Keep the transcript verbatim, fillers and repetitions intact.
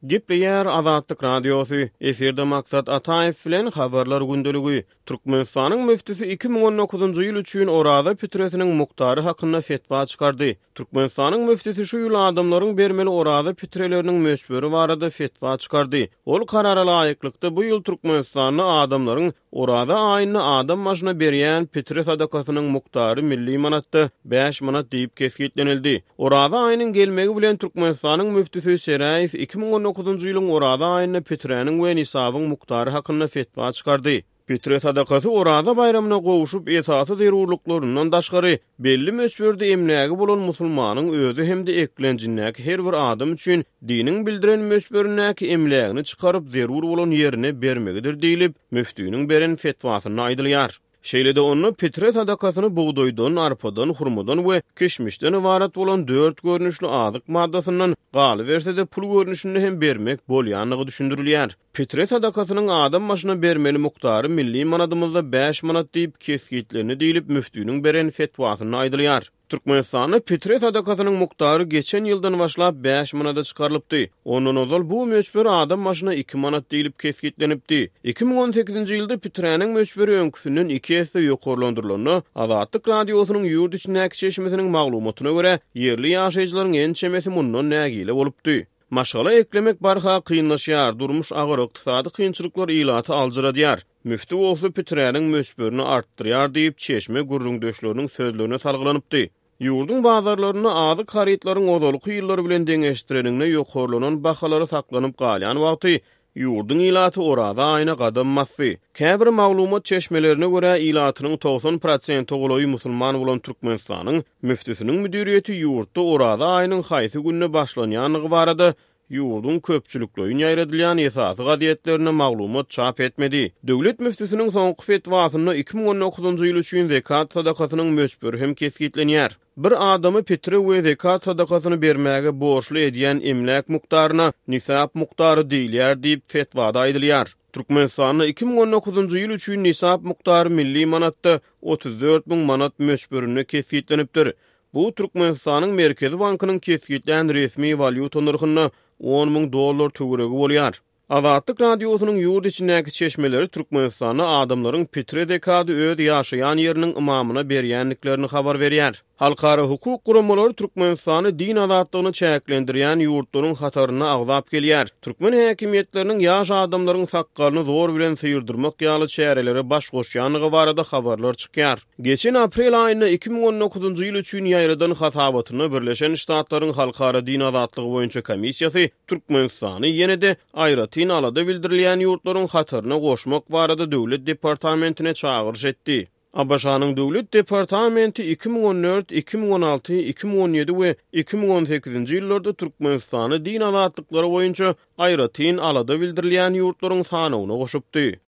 Gepleýär Azatlyk Radiosy, efirde Maksat Ataýew bilen Habarlar gündeligi. Türkmenistanyň müftüsi iki müň on dokuzynjy ýyl üçin Oraza pitresiniň mukdary hakynda fetwa çykardy. Türkmenistanyň müftüsi şu ýyl adamlaryň bermeli oraza pitreleriniň möçberi barada fetwa çykardy. Ol karara laýyklykda, bu ýyl Türkmenistanda adamlaryň Oraza aýynda adam başyna berýän pitre sadakasynyň mukdary milli manatda bäş manat diýip kesgitlenildi. Oraza aýynyň gelmegi bilen Türkmenistanyň müftüsi Seräýew iki müň on dokuzynjy ýylyň Oraza aýynda piträniň we nisabyň mukdary hakynda fetwa çykardy. Pitre sadakasy Oraza baýramyna gowşup, esasy zerurlyklaryndan daşgary, belli möçberde emlägi bolan musulmanyň özi hem-de eklenjindäki her bir adam üçin diniň bildiren möçberindäki emlägini çykaryp, zerur bolan ýerine bermegidir diýlip, müftiniň beren fetwasynda aýdylýar. Şeýle-de onda pitre sadakasyny bugdaýdan, arpadan, hurmadan we kişmişden ybarat bolan dört görnüşli azyk maddasyndan, galyberse-de pul görnüşinde hem bermek bolýandygy düşündirilýär. Pitre sadakasynyň adam başyna bermeli mukdary milli manadymyzda bäş manat diýip kesgitlendi diýlip, müftiniň beren fetwasynda aýdylýar. Türkmenistanda pitre sadakasynyň mukdary geçen ýyldan başlap bäş manada çykarylypdy. Ondan ozal bu möçber adam başyna iki manat diýlip kesgitlenipdi. Iki müň on sekizinji ýylda piträniň möçberi öňküsinden iki esse ýokarlandyrylanda, Azatlyk Radiosynyň ýurt içindäki çeşmesiniň maglumatyna görä, ýerli ýaşaýjylaryň ençemesi mundan nägile bolupdy. Maşgala eklemek barha kynlaşýar, durmuş agyr, ykdysady kynçylyklar ilaty aljyradýar. Müfti bolsa piträniň möçberini artdyrýar diýip, çeşme gürrüňdeşleriniň sözlerine salgylanypdy. Ýurduň bazarlarynda azyk harytlaryň ozalky ýyllar bilen deňeşdireninde ýokarlanan bahalary saklanyp galýan wagty, ýurduň ilaty Oraza aýyna gadam basdy. Käbir maglumat çeşmelerine görä, ilatynyň togsan prosente golaýy musulman bolan Türkmenistanyň müftüsiniň müdiriýeti ýurtda Oraza aýynyň haýsy günde başlanýandygy barada ýurduň köpçülikleýin ýaýradylýan esasy gazetlerinde maglumat çap etmedi. Döwlet müftüsiniň soňky fetwasynda iki müň on dokuzynjy ýyl üçin zekat sadakasynyň möçberi hem kesgitlenýär. Bir adamy pitre we zekat sadakasyny bermäge borçly edýän emläk mukdaryna nisap mukdary diýilýär diýip fetwada aýdylýar. Türkmenistanda iki müň on dokuzynjy ýyl üçin nisap mukdary milli manatda otuz dört müň manat möçberinde kesgitlenipdir. Bu Türkmenistanyň Merkezi bankynyň kesgitlän resmi walýuta nyrhynda on müň dollar töweregi bolýar. Azatlyk Radiosynyň ýurt içindäki çeşmeleri Türkmenistanda adamlaryň pitre zekady öz ýaşaýan ýeriniň ymamyna berýändiklerini habar berýär. Halkara hukuk guramalary Türkmenistany din azatlygyny çäklendirýän ýurtlaryň hatarynda agzap gelýär. Türkmen häkimiýetleriniň ýaş adamlaryň sakgalyny zor bilen syýrdyrmak ýaly çärelere baş goşýandygy barada habarlar çykýar. Geçen aprel aýynda iki müň on dokuzynjy ýyl üçin ýaýradan hasabatynda Birleşen Ştatlaryň Halkara Din Azatlygy boýunça komissiýasy Türkmenistany ýene-de aýratyn alada bildirilýän ýurtlaryň hataryna goşmak barada Döwlet departamentine çagyryş etdi. A B Ş-nyň Döwlet departamenti iki müň on dört, iki müň on alty, iki müň on ýedi we iki müň on sekizinji ýyllarda Türkmenistany din azatlyklary boýunça aýratyn alada bildirilýän ýurtlaryň sanawyna goşupdy.